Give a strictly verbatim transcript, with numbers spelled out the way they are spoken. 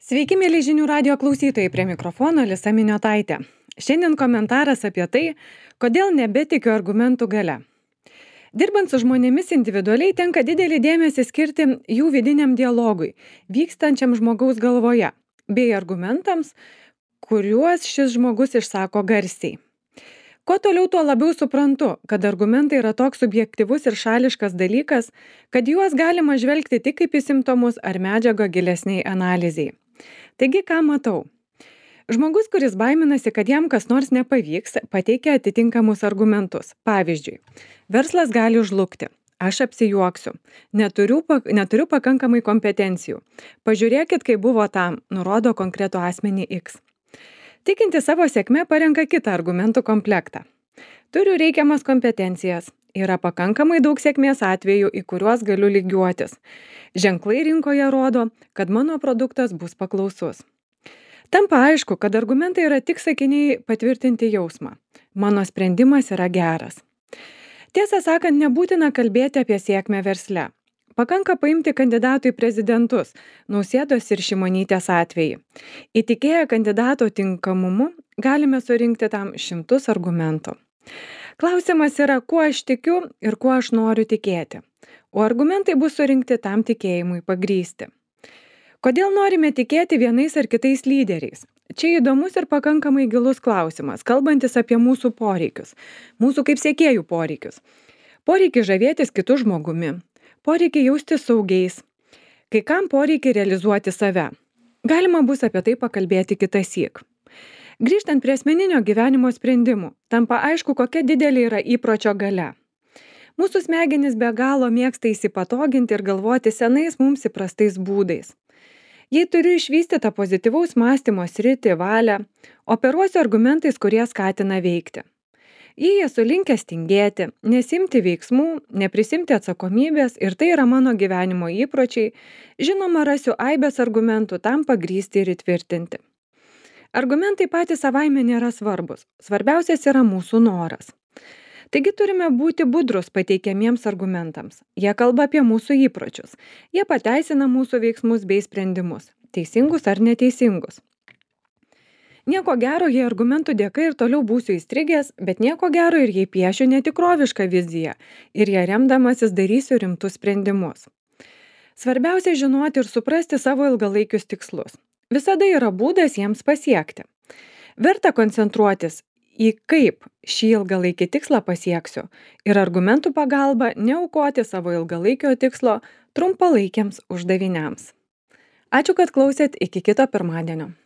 Sveiki, mėly žinių radio klausytojai, prie mikrofono Alisa Miniotaitė. Šiandien komentaras apie tai, kodėl nebetikiu argumentų gale. Dirbant su žmonėmis individualiai tenka didelį dėmesį skirti jų vidiniam dialogui, vykstančiam žmogaus galvoje, bei argumentams, kuriuos šis žmogus išsako garsiai. Kuo toliau, tuo labiau suprantu, kad argumentai yra toks subjektyvus ir šališkas dalykas, kad juos galima žvelgti tik kaip į simptomus ar medžiagą gilesniai analizai. Taigi, ką matau? Žmogus, kuris baiminasi, kad jam kas nors nepavyks, pateikia atitinkamus argumentus. Pavyzdžiui, verslas gali žlugti, aš apsijuoksiu, neturiu, neturiu pakankamai kompetencijų. Pažiūrėkit, kaip buvo tam, nurodo konkretų asmenį X. Tikinti savo sėkme parenka kitą argumentų komplektą. Turiu reikiamas kompetencijas, yra pakankamai daug sėkmės atvejų, į kuriuos galiu lygiuotis. Ženklai rinkoje rodo, kad mano produktas bus paklausus. Tampa aišku, kad argumentai yra tik sakiniai patvirtinti jausmą. Mano sprendimas yra geras. Tiesą sakant, nebūtina kalbėti apie sėkmę versle. Pakanka paimti kandidatų į prezidentus, Nausėdos ir Šimonytės atvejį. Įtikėję kandidato tinkamumu, galime surinkti tam šimtus argumentų. Klausimas yra, kuo aš tikiu ir kuo aš noriu tikėti. O argumentai bus surinkti tam tikėjimui pagrįsti. Kodėl norime tikėti vienais ar kitais lyderiais? Čia įdomus ir pakankamai gilus klausimas, kalbantis apie mūsų poreikius, mūsų kaip sekėjų poreikius. Poreikį žavėtis kitų žmogumi, poreikį jaustis saugiais, kai kam poreikį realizuoti save. Galima bus apie tai pakalbėti kitąsyk. Grįžtant prie asmeninio gyvenimo sprendimų, tampa aišku, kokia didelė yra įpročio galia. Mūsų smegenys be galo mėgsta įsipatoginti ir galvoti senais mums įprastais būdais. Jei turiu išvystytą pozityvaus mąstymo sritį, valią, operuosiu argumentais, kurie skatina veikti. Jei esu linkęs tingėti, nesimti veiksmų, neprisimti atsakomybės ir tai yra mano gyvenimo įpročiai, žinoma, rasiu aibės argumentų tam pagrįsti ir įtvirtinti. Argumentai patys savaime nėra svarbus, svarbiausias yra mūsų noras. Taigi turime būti budrus pateikiamiems argumentams. Jie kalba apie mūsų įpročius. Jie pateisina mūsų veiksmus bei sprendimus, teisingus ar neteisingus. Nieko gero, jei argumentų dėka ir toliau būsiu įstrigęs, bet nieko gero ir jei piešiu netikrovišką viziją ir ją remdamasis darysiu rimtus sprendimus. Svarbiausia žinoti ir suprasti savo ilgalaikius tikslus. Visada yra būdas jiems pasiekti. Verta koncentruotis į kaip šį ilgalaikį tikslą pasieksiu ir argumentų pagalba neaukoti savo ilgalaikio tikslo trumpalaikiams uždaviniams. Ačiū, kad klausėt, iki kito pirmadienio.